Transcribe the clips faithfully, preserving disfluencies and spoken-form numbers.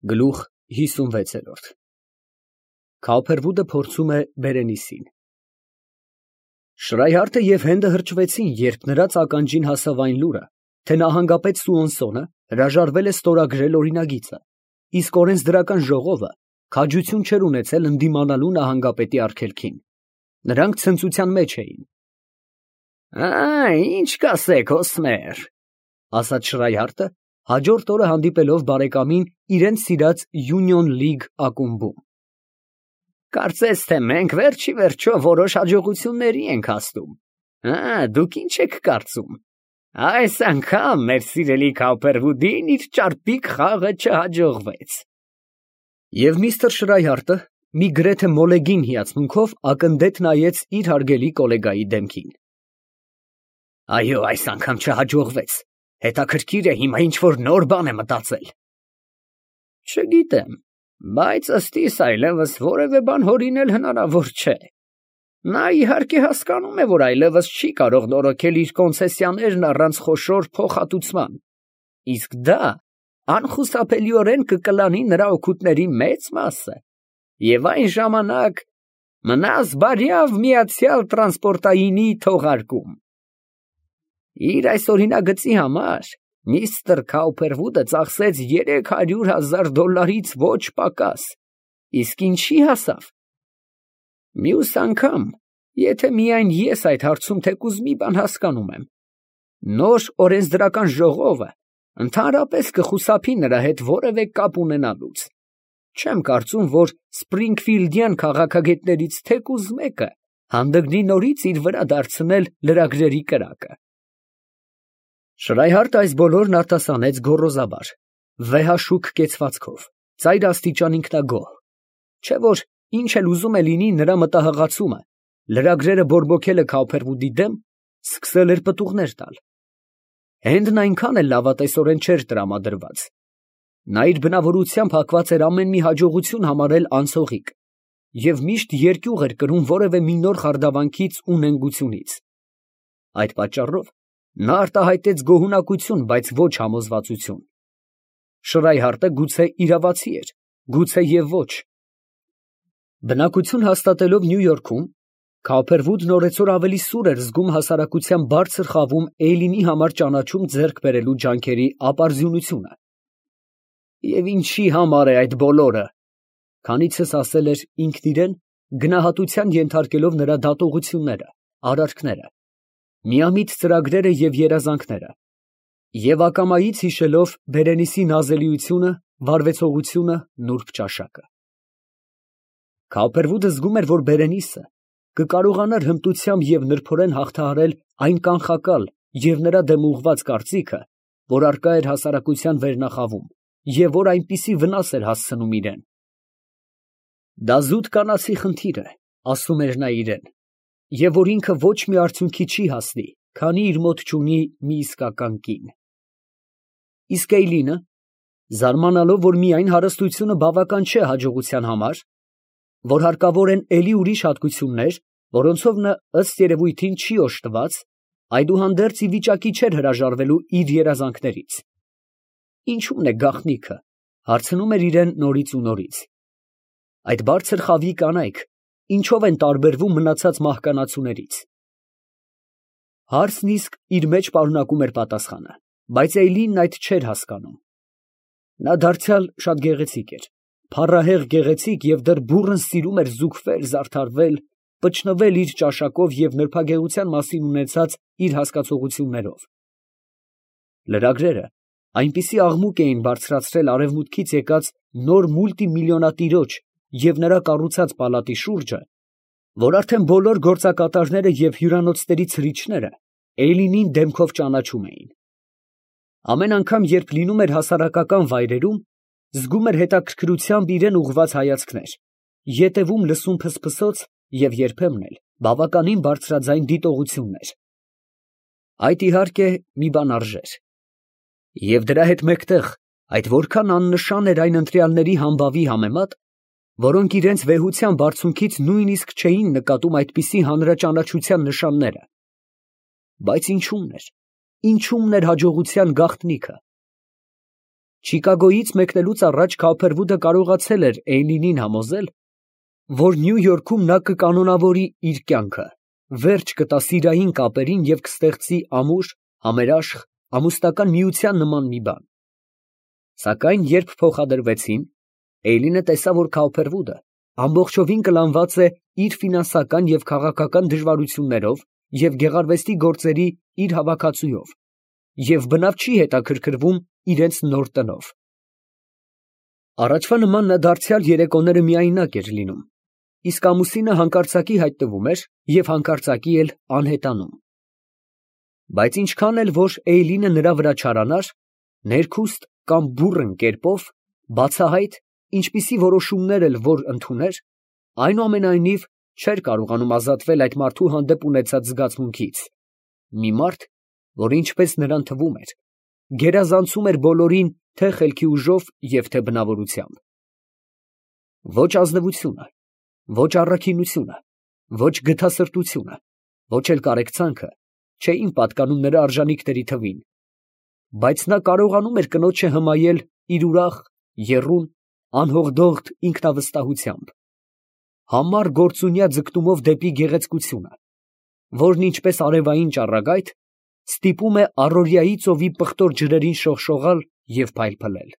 Գլուխ հիսունվեց։ Քավոփրդուդը փորձում է Բերենիսին։ Շրայհարդը և Հենդը հրճվեցին, երբ նրանց ականջին հասավ այն լուրը, թե նահանգապետ Սուոնսոնը հրաժարվել է ստորագրել օրինագիծը, իսկ օրենսդրական ժողովը քաջություն չէր ունեցել ընդդիմանալու նահանգապետի արգելքին։ Նրանք ցնծության մեջ էին։ «Ի՞նչ կասեք, Օսմեր», ֊ ասաց Շրայհարդը, հաջորդ օրը հանդիպելով բարեկամին իրենց սիրած Յունիոն Լիգ ակումբում։ «Կարծես թե մենք վերջ ի վերջո որոշ հաջողությունների ենք հասնում։ Դուք ի՞նչ եք կարծում. այս անգամ մեր սիրելի Քավոփրդուդին իր ճարպիկ խաղը չհաջողվեց»։ Եվ միստր Շրայհարդը մի գրեթե մոլեգին հիացմունքով ակնդետ նայեց իր հարգելի գոլեգայի դեմքին։ «Այո, այս անգամ չհաջողվեց. հետաքրքիր է, հիմա ինչ֊որ նոր բան է մտածել»։ «Չգիտեմ, բայց ըստ իս այլևս որևէ բան հորինել հնարավոր չէ։ Նա իհարկե հասկանում է, որ այլևս չի կարող նորոգել իր կոնցեսիաներն առանց խոշոր փոխհատուցման, իսկ դա անխուսափելիորեն կկլանի նրա օգուտների մեծ մասը, և այն ժամանակ մնաս բարյավ միացյալ տրանսպորտայինի թողարկում։ Իր այս օրինագծի համար միստր Քավոփրդուդը ծախսեց երեք հարյուր հազար դոլարից ոչ պակաս, իսկ ինչի հասավ։ Մյուս անգամ, եթե միայն ես այդ հարցում թեկուզ մի բան հասկանում եմ, նոր օրենսդրական ժողովը ընդհանրապես կխուսափի նրա հետ որևէ կապ ունենալուց։ Չեմ կարծում, որ սփրինգֆիլդյան քաղաքագետներից թեկուզ մեկը հանդգնի նորից իր վրա դարձնել լրագրերի կրակը։ Շրայհարդը այս բոլորն արտասանեց գոռոզաբար, վեհաշուք կեցվածքով, ծայրաստիճան ինքնագոհ, չէ՞ որ ինչ էլ ուզում է լինի նրա մտահղացումը, լրագրերը բորբոքելը Քավոփրդուդի դեմ, սկսել էր պտուղներ տալ։ Հենդն այնքան էլ լավատեսորեն չէր տրամադրված։ Նա իր բնավորությամբ հակված էր ամեն մի հաջողություն համարել անցողիկ և միշտ երկյուղ էր կրում որևէ մի նոր խարդավանքից ու նենգությունից։ Այդ պատճառով նա արտահայտեց գոհունակություն, բայց ոչ համոզվածություն։ Շրայհարդը գուցե իրավացի էր, գուցե և ոչ։ Բնակություն հաստատելով Նյու Յորքում, Քավոփրդուդն օրեցօր ավելի սուր էր զգում հասարակության բարձր խավում Էյլինի համար ճանաչում ձեռք բերելու ջանքերի ապարդյունությունը։ «Եվ ինչի համար է այդ բոլորը», քանիցս ասել էր ինքն իրան, գնահատության ենթարկելով նրա դատողությունները, արարքները, միամիտ ծրագրերը և երազանքները, և ակամայից հիշելով Բերենիսի նազելիությունը, վարվեցողությունը, նուրբ ճաշակը։ Քավոփրդուդը զգում էր, որ Բերենիսը կկարողանար հմտությամբ և նրբորեն հաղթահարել այն կանխակալ և նրա դեմ ուղղված կարծիքը, որ առկա էր հասարակության վերնախավում և որ այնպիսի վնաս էր հասցնում իրան։ «Դա զուտ կանացի խնդիր է», ասում էր նա իրան, «և որ ինքը ոչ մի արդյունքի չի հասնի, քանի իր մոտ չունի մի իսկական կին»։ Իսկ Էյլինը, զարմանալով, որ միայն հարստությունը բավական չէ հաջողության համար, որ հարկավոր են էլի ուրիշ հատկություններ, որոնցով նա ըստ երևույթին չի օժտված, այդուհանդերձ ի վիճակի չէր հրաժարվելու իր երազանքներից։ «Ինչո՞ւմն է գաղտնիքը», հարցնում էր իրան նորից ու նորից։ «Այդ բարձր խավի կանայք ինչո՞վ են տարբերվում մնացած մահկանացուներից»։ Հարցն իսկ իր մեջ պարունակում էր պատասխանը, բայց Էյլինն այդ չէր հասկանում։ Նա դարձյալ շատ գեղեցիկ էր, փառահեղ գեղեցիկ և դեռ բուռն սիրում էր զուգվել, զարդարվել, պչնվել իր ճաշակով և նրբագեղության մասին ունեցած իր հասկացություններով։ Լրագրերը այնպիսի աղմուկ էին բարձրացրել արևմուտքից եկած նոր մուլտիմիլիոնատիրոջ և նրա կառուցած պալատի շուրջը, որ արդեն բոլոր գործակատարները և հյուրանոցների ցրիչները Էյլինին դեմքով ճանաչում էին։ Ամեն անգամ, երբ լինում էր հասարակական վայրերում, զգում էր հետաքրքրությամբ իրան ուղղված հայացքներ, ետևում լսում փսփսոց և երբեմն էլ բավականին բարձրաձայն դիտողություններ։ Այդ իհարկե մի բան արժեր։ Եվ դրա հետ մեկտեղ այդ որքան աննշան էր այն ընտրյալների համբավի համեմատ, որոնք իրենց վեհության բարձունքից նույնիսկ չէին նկատում այդպիսի հանրաճանաչության նշանները։ Բայց ինչո՞ւմն էր, ինչո՞ւմն էր հաջողության գաղտնիքը։ Չիկագոյից մեկնելուց առաջ Քափերվուդը կարողացել էր Էյլինին համոզել, որ Նյու Յորքում նա կկանոնավորի իր կյանքը, վերջ կտա սիրային կապերին և կստեղծի ամուր, համերաշխ, ամուսնական միության նման մի բան։ Սակայն երբ փոխադրվեցին, Էյլինը տեսավ, որ Քափերվուդը ամբողջովին կլանված է իր ֆինանսական և քաղաքական դժվարություններով և գեղարվեստի գործերի իր հավաքածուով և բնավ չի հետաքրքրվում իրենց նոր տնով։ Առաջվա նման նա դարձյալ երեկոները միայնակ էր լինում, իսկ ամուսինը հանկարծակի հայտնվում էր և հանկարծակի էլ անհետանում։ Բայց ինչքան էլ որ Էյլինը նրա վրա չարանար, ներքուստ կամ բուռն կերպով, բացահայտ, ինչպիսի որոշումներ էլ որ ընդուներ, այնուամենայնիվ չէր կարողանում ազատվել այդ մարդու հանդեպ ունեցած զգացմունքից, մի մարդ, որ ինչպես նրան թվում էր, գերազանցում էր բոլորին թե խելքի ուժով և թե բնավորությամբ։ Ոչ ազնվությունը, ոչ առաքինությունը, ոչ գթասրտությունը, ոչ էլ կարեկցանքը չէին պատկանում նրա արժանիքների թվին, բայց նա կարողանում էր կնոջը հմայել իր ուրախ, եռուն, անհողդողդ ինքնավստահությամբ, համառ գործունյա ձգտումով դեպի գեղեցկությունը, որն ինչպես արևային ճառագայթ ստիպում է առօրյայի ծովի պղտոր ջրերին շողշողալ և փայլփլել։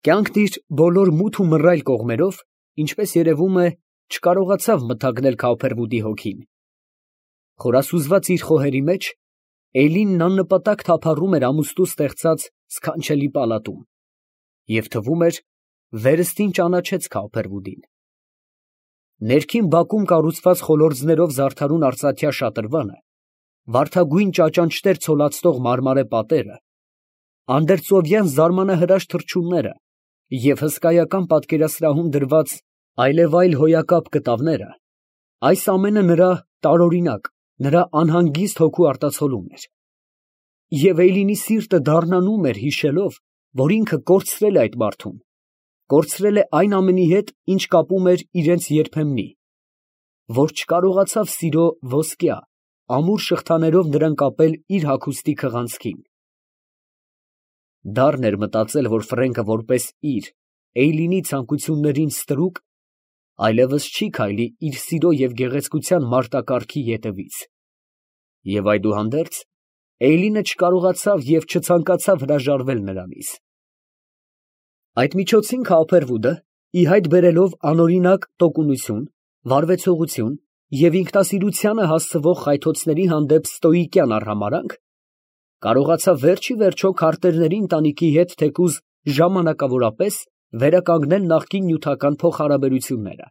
Կյանքն իր բոլոր մութ ու մռայլ կողմերով, ինչպես երևում է, չկարողացավ մթագնել Քափերվուդի հոգին։ Խորասուզված իր խոհերի մեջ, Էյլինն աննպատակ թափառում էր ամուսնու ստեղծած սքանչելի պալատում, և թվում էր, վերստին ճանաչեց Քափերվուդին։ Ներքին բակում կառուցված խոլորձներով զարդարուն արծաթյա շատրվանը, վարդագույն ճաճանճներ ցոլացնող մարմարե պատերը, անդերծովյան զարմանահրաշ թռչունները և հսկայական պատկերասրահում դրված այլևայլ հոյակապ կտավները, այս ամենը նրա տարօրինակ, նրա անհանգիստ հոգու արտացոլումն էր։ Եվ Էյլինի սիրտը դառնանում էր հիշելով, որ ինքը կորցրել է այդ մարդուն, կորցրել է այն ամենի հետ, ինչ կապում էր իրենց երբեմնի, որ չկարողացավ սիրո ոսկյա, ամուր շղթաներով նրան կապել իր հագուստի քղանցքին։ Դառն էր մտածել, որ Ֆրենկը որպես իր, Էյլինի ցանկություններին ստրուկ, այլևս չի քայլի իր սիրո և գեղեցկության մարտակառքի ետևից։ Եվ այդուհանդերձ, Էյլինը չկարողացավ և չցանկացավ հրաժարվել նրանից։ Այդ միջոցին Քափերվուդը, ի հայտ բերելով անօրինակ տոկունություն, վարվեցողություն և ինքնասիրությանը հասցվող խայթոցների հանդեպ ստոիկյան արհամարհանք, կարողացավ վերջ ի վերջո քարտերների ընտանիքի հետ թեկուզ ժամանակավորապես վերականգնել նախկին նյութական փոխհարաբերությունները։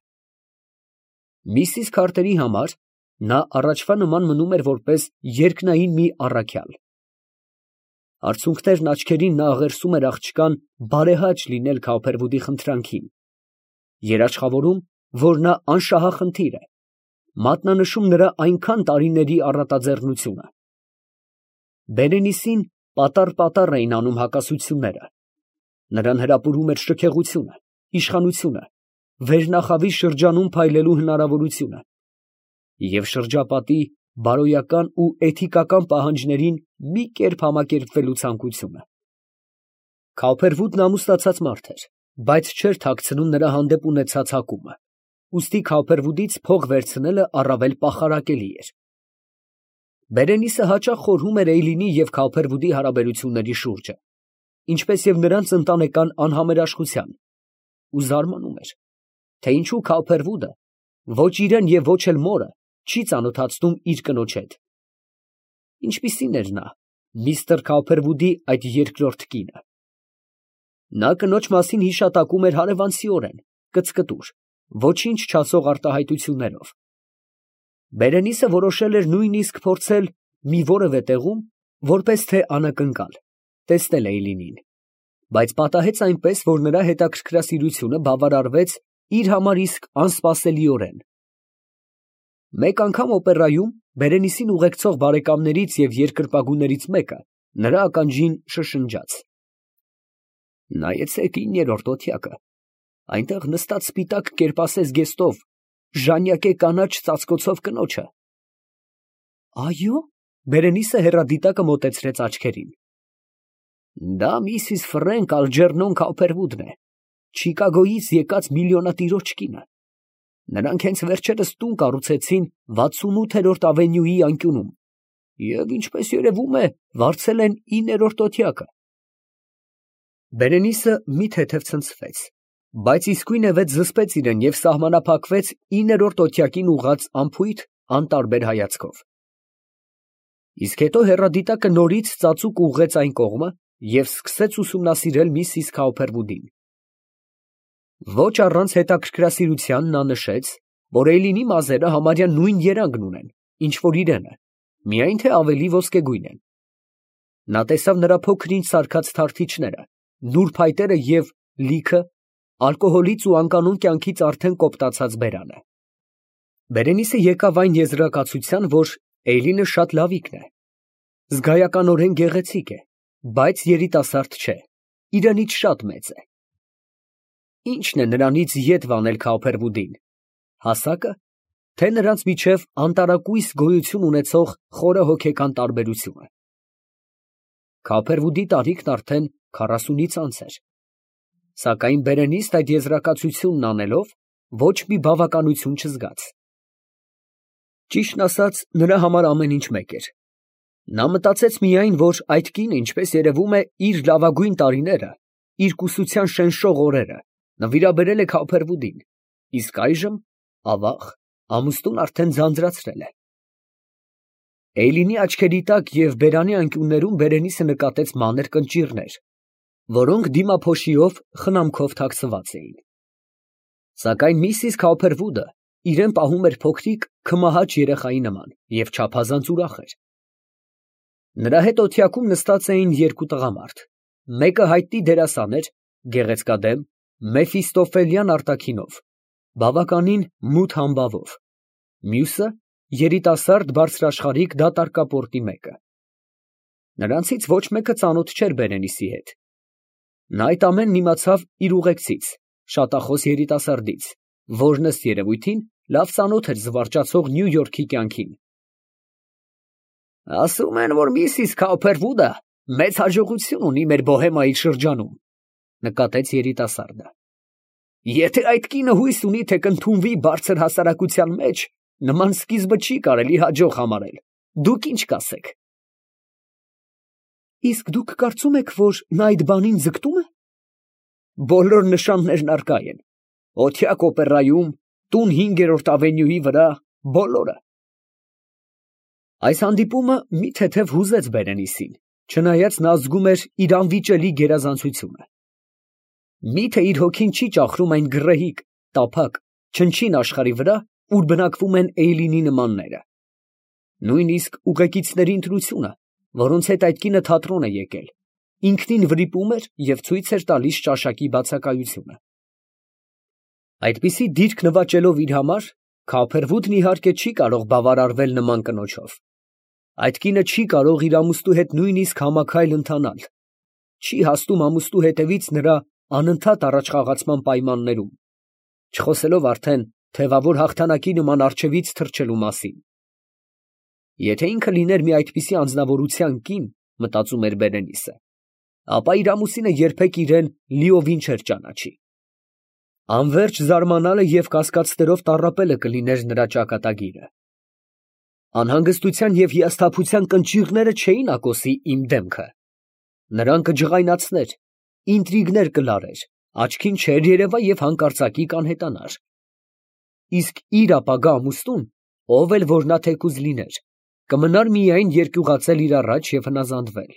Միսիս Քարթերի համար նա առաջվա նման մնում էր որպես երկնային մի առաքյալ։ Արցունքներն աչքերին նա աղերսում էր աղջկան բարեհաճ լինել Քափերվուդի խնդրանքին, երաշխավորում, որ նա անշահախնդիր է, մատնանշում նրա այնքան տարիների առատաձեռնությունը։ Բերենիսին պատառ֊պատառ էին անում հակասությունները, նրան հրապուրում էր շքեղությունը, իշխանությունը, վերնախավի շրջանում փայլելու հնարավորությունը և շրջապատի բարոյական ու էթիկական պահանջներին մի կերպ համակերպվելու ցանկությունը։ Քափերվուդն ամուսնացած մարդ էր, բայց չէր թաքցնում նրա հանդեպ ունեցած հակումը, ուստի Քափերվուդից փող վերցնելը առավել պախարակելի էր։ Բերենիսը հաճախ խորհում էր Էյլինի և Քափերվուդի հարաբերությունների շուրջը, ինչպես և նրանց ընտանեկան անհամերաշխության, ու զարմանում էր, թե ինչու Քափերվուդը ոչ իրան և ոչ էլ մորը չի ծանոթացնում իր կնոջ հետ։ Ինչպիսի՞ն էր նա, միստր Քափերվուդի այդ երկրորդ կինը։ Նա կնոջ մասին հիշատակում էր հարևանցիորեն, կծկտուր, ոչինչ չասող արտահայտություններով։ Բերենիսը որոշել էր նույնիսկ փորձել մի որևէ տեղում, որպես թե անակնկալ, տեսնել Էյլինին, բայց պատահեց այնպես, որ նրա հետաքրքրասիրությունը բավարարվեց իր համար իսկ անսպասելիորեն։ Մեկ անգամ օպերայում Բերենիսին ուղեկցող բարեկամներից և երկրպագուներից մեկը նրա ականջին շշնջաց. «Նայեցե՛ք իններորդ օթյակը, այնտեղ նստած սպիտակ կերպասես զգեստով, ժանյակե կանաչ ծածկոցով կնոջը»։ «Այո՞։ Բերենիսը հեռադիտակը մոտեցրեց աչքերին։ Դա միսիս Ֆրենկ Ալջերնոն Քոփերվուդն է, Չիկագոյից եկած միլիոնատիրոջ կինը։ Նրանք հենց վերջերս տուն կառուցեցին վաթսունութերորդ ավենյուի անկյունում և, ինչպես երևում է, վարձել են իններորդ օթյակը։ Բերենիսը մի թեթև ցնցվեց, բայց իսկույնևեթ զսպեց իրեն և սահմանափակվեց իններորդ օթյակին ուղղած անփույթ, անտարբեր հայացքով։ Իսկ հետո հեռադիտակը նորից ծածուկ ուղղեց այն կողմը և սկսեց ուսումնասիրել միսիս Քոփերվուդին։ Ոչ առանց հետաքրքրասիրության նա նշեց, որ Էյլինի մազերը համարյա նույն երանգն ունեն, ինչ որ իրենը, միայն թե ավելի ոսկեգույն են։ Նա տեսավ նրա փոքր-ինչ սարքած թարթիչները, նուրբ փայտերը և լիքը, ալկոհոլից ու անկանոն կյանքից արդեն կոպտացած բերանը։ Բերենիսը եկավ այն եզրակացության, որ Էյլինը շատ լավիկն է, զգայականորեն գեղեցիկ է, բայց երիտասարդ չէ, իրենից շատ մեծ է։ Ի՞նչն է նրանից ետ վանել Քոփերվուդին, հասակը, թե նրանց միջև անտարակույս գոյություն ունեցող խորը հոգեկան տարբերությունը։ Քոփերվուդի տարիքն արդեն քառասունից անց էր, սակայն Բերենիսն այդ եզրակացությունն անելով, ոչ մի բավականություն չզգաց։ Ճիշտն ասած, նրա համար ամեն ինչ մեկ էր։ Նա մտածեց միայն, որ այդ կինը, ինչպես երևում է, իր լավագույն տարիները, իր կուսության շնշող օրերը նվիրաբերել է Քոփերվուդին, իսկ այժմ, ավաղ, ամուսնուն արդեն ձանձրացրել է։ Էյլինի աչքերի տակ և բերանի անկյուններում Բերենիսը նկատեց մանր կնճիռներ, որոնք դիմափոշիով խնամքով թաքցված էին։ Սակայն միսիս Քոփերվուդը իրեն պահում էր փոքրիկ քմահաճ երեխայի նման և չափազանց ուրախ էր։ Նրա հետ օթյակում նստած էին երկու տղամարդ, մեկը հայտնի դերասան էր, գեղեցկադեմ, Մեֆիստոֆելյան արտաքինով, բավականին մութ համբավով, մյուսը երիտասարդ բարձրաշխարհիկ դատարկապորտի մեկը։ Նրանցից ոչ մեկը ծանոթ չէր Բերենիսի հետ։ Նա այդ ամենն իմացավ իր ուղեկցից, շատախոս երիտասարդից, որն ըստ երևույթին լավ ծանոթ էր զվարճացող Նյու Յորքի կյանքին։ Ասում են, որ միսիս Քոփերվուդը մեծ հաջողություն ունի մեր Բոհեմայի շրջանում, նկատեց երիտասարդը։ Եթե այդ կինը հույս ունի, թե կընդունվի բարձր հասարակության մեջ, նման սկիզբը չի կարելի հաջող համարել։ Դուք ինչ կասեք։ Իսկ դուք կարծում եք, որ նա այդ բանին ձգտում է։ Բոլոր նշաններն առկա են։ Օթյակ օպերայում, տուն հինգերորդ ավենյուի վրա, բոլորը։ Այս հանդիպումը մի թեթև հուզեց Բերենիսին, չնայած նա զգում էր իր անվիճելի գերազանցությունը։ Միթե իր հոգին չի ճախրում այն գռեհիկ, տափակ, չնչին աշխարհի վրա, ուր բնակվում են Էյլինի նմանները։ Նույնիսկ ուղեկիցների ընտրությունը, որոնց հետ այդ կինը թատրոն է եկել, ինքնին վրիպում էր և ցույց էր տալիս ճաշակի բացակայությունը։ Այդպիսի դիրք նվաճելով իր համար, Քոփերվուդն իհարկե չի կարող բավարարվել նման կնոջով։ Այդ կինը չի կարող իր ամուսնու հետ նույնիսկ համաքայլ ընթանալ, չի հասնում ամուսնու հետևից նրա անընդհատ առաջխաղացման պայմաններում, չխոսելով արդեն թևավոր հաղթանակի նման առջևից թռչելու մասին։ Եթե ինքը լիներ մի այդպիսի անձնավորության կին, մտածում էր Բերենիսը, ապա իր ամուսինը երբեք իրեն լիովին չէր ճանաչի։ Անվերջ զարմանալը և կասկածներով տառապելը կլիներ նրա ճակատագիրը։ Անհանգստության և հիասթափության կնճիռները չէին ակոսի իմ դեմքը։ Նրան կջղայնացներ, ինտրիգներ կլարեր, աչքին չէր երևա և հանկարծակի կանհետանար։ Իսկ իր ապագա ամուսնուն, ով էլ որ նա թեկուզ լիներ, կմնար միայն երկյուղածել իր առաջ և հնազանդվել։